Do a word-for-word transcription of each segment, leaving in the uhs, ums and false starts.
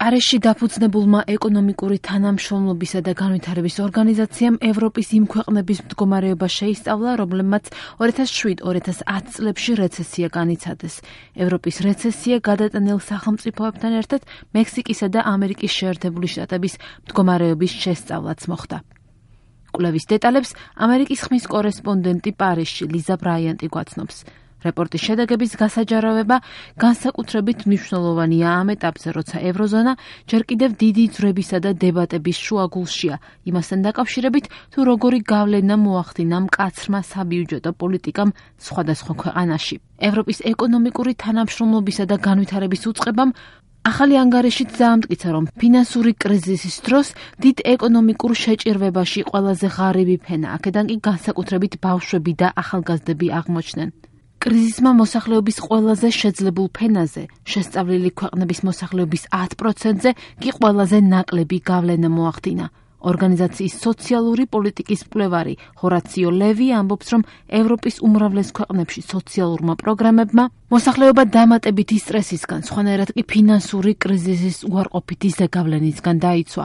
პარიზში დაფუძნებულმა ეკონომიკური თანამშრომლობისა და განვითარების ორგანიზაციამ ევროპის იმ ქვეყნების მდგომარეობა შეისწავლა, რომლებმაც ორი ათას შვიდ ორი ათას ათი წლებში რეცესია განიცადეს. ევროპის რეცესია გადატანილ სახელმწიფოებთან ერთად მექსიკისა და ამერიკის შეერთებული შტატების მდგომარეობის შესწავლაც მოხდა. კვლევის დეტალებს ამერიკის ხმის კორესპონდენტი პარიზში ლიზა ბრაიანტი გვაცნობს. რეპორტის შედეგების გასაჯარავება განსაკუთრებით მნიშვნელოვანია ამ ეტაპზე, როცა ევროზონა ჯერ კიდევ დიდი ძვრებისა და დებატების შუაგულშია, იმასთან დაკავშირებით, თუ როგორი გავლენა მოახდინა მკაცრმა საბიუჯეტო პოლიტიკამ სხვადასხვა ქვეყანაში. ევროპის ეკონომიკური თანამშრომლობისა და განვითარების უწყებამ ახალი ანგარიშით დაამტკიცა, რომ ფინანსური კრიზისის დროს დიდ ეკონომიკურ შეჭირვებაში ყველაზე ღარიბი ფენა, აქედან კი განსაკუთრებით ბავშვები და ახალგაზრდები აღმოჩნდნენ. კრიზისმა მოსახლეობის ყველაზე შეძლებულ ფენაზე, შესწავლილი ქვეყნების მოსახლეობის ათ პროცენტზე კი ყველაზე ნაკლები გავლენა მოახდინა. ორგანიზაციის სოციალური პოლიტიკის მკვლევარი ჰორაციო ლევი ამბობს, რომ ევროპის უმრავლეს ქვეყნებში სოციალურმა პროგრამებმა მოსახლეობა დამატებითი სტრესისგან, სხვანაირად კი ფინანსური კრიზისის უარყოფითი ზეგავლენისგან დაიცვა.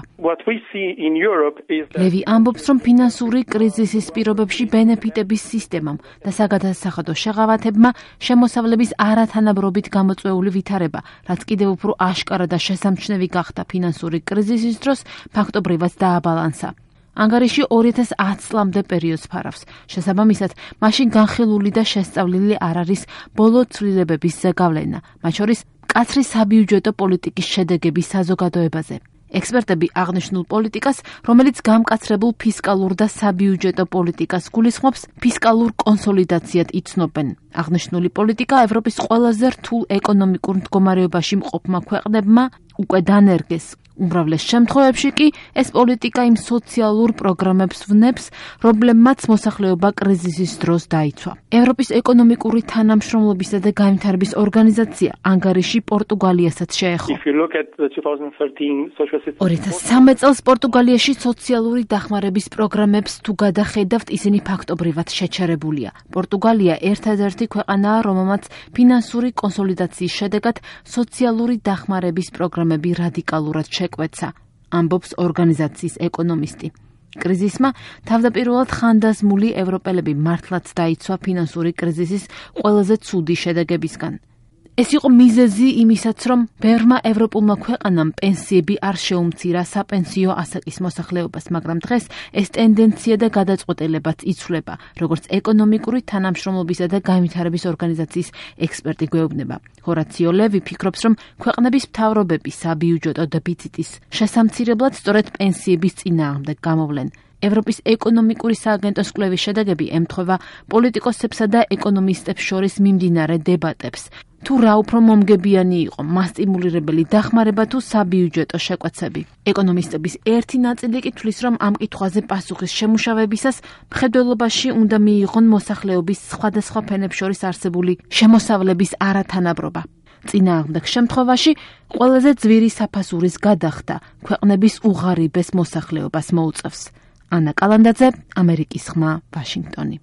ლევი ამბობს, რომ ფინანსური კრიზისის პირობებში ბენეფიტების სისტემამ და საგადასახადო შეღავათებმა შემოსავლების არათანაბრობით გამოწვეული ვითარება, რაც კიდევ უფრო აშკარა და შესამჩნევი გახდა ფინანსური კრიზისის დროს, ფაქტობრივად დააბალანსა. ანგარიში ორი ათას ათი წლამდე პერიოდს ფარავს. შესაბამისად, მაშინ განხილული და შესწავლილი არ არის ბოლო ცვლილებების ზეგავლენა, მათ შორის მკაცრი საბიუჯეტო პოლიტიკის შედეგების საზოგადოებაზე. ექსპერტები აღნიშნულ პოლიტიკას, რომელიც გამკაცრებულ ფისკალურ და საბიუჯეტო პოლიტიკას გულისხმობს, ფისკალურ კონსოლიდაციად იცნობენ. აღნიშნული პოლიტიკა ევროპის ყველაზე რთულ ეკონომიკურ მდგომარეობაში მყოფმა ქვეყნებმა უკვე დანერგეს. უმრავლეს შემთხვევებში კი ეს პოლიტიკა იმ სოციალურ პროგრამებს ვნებს, რომლებმაც მოსახლეობა კრიზისის დროს დაიცვა. ევროპის ეკონომიკური თანამშრომლობისა და განვითარების ორგანიზაცია ანგარიში პორტუგალიასაც შეეხო. ორი ათას ცხრამეტ წელს პორტუგალიაში სოციალური დახმარების პროგრამებს თუ გადახედავთ, ისინი ფაქტობრივად შეჩერებულია. პორტუგალია ერთადერთი ქვეყანაა, რომელმაც ფინანსური კონსოლიდაციის შედეგად სოციალური დახმარების პროგრამები რადიკალურად შეკვეცა, ამბობს ორგანიზაციის ეკონომისტი. კრიზისმა თავდაპირველად ხანდაზმული ევროპელები მართლაც დაიცვა ფინანსური კრიზისის ყველაზე ცუდი შედეგებისგან. ეს იყო მიზეზი იმისაც, რომ ბევრმა ევროპულმა ქვეყანამ პენსიები არ შეუმცირა საპენსიო ასაკის მოსახლეობას, მაგრამ დღეს ეს ტენდენცია და გადაწყვეტილებაც იცვლება, როგორც ეკონომიკური თანამშრომლობისა და განვითარების ორგანიზაციის ექსპერტი გვეუბნება. ჰორაციო ლევი ფიქრობს, რომ ქვეყნების მთავრობები საბიუჯეტო დეფიციტის შესამცირებლად სწორედ პენსიების წინააღმდეგ გამოვლენ. ევროპის ეკონომიკური სააგენტოს კვლევის შედეგები ემთხვევა პოლიტიკოსებსა და ეკონომისტებს შორის მიმდინარე დებატებს. თუ რა უფრო მომგებიანი იყო, მასტიმულირებელი დახმარება თუ საბიუჯეტო შეკვეცები. ეკონომისტების ერთი ნაწილი კი თვლის, რომ ამ კითხვაზე პასუხის შემუშავებისას მხედველობაში უნდა მიიღონ მოსახლეობის სხვადასხვა ფენებს შორის არსებული შემოსავლების არათანაბრობა. წინააღმდეგ შემთხვევაში ყველაზე ძვირი საფასურის გადახდა ქვეყნების უღარიბეს მოსახლეობას მოუწევს. ანა კალანდაძე, ამერიკის ხმა, ვაშინგტონი.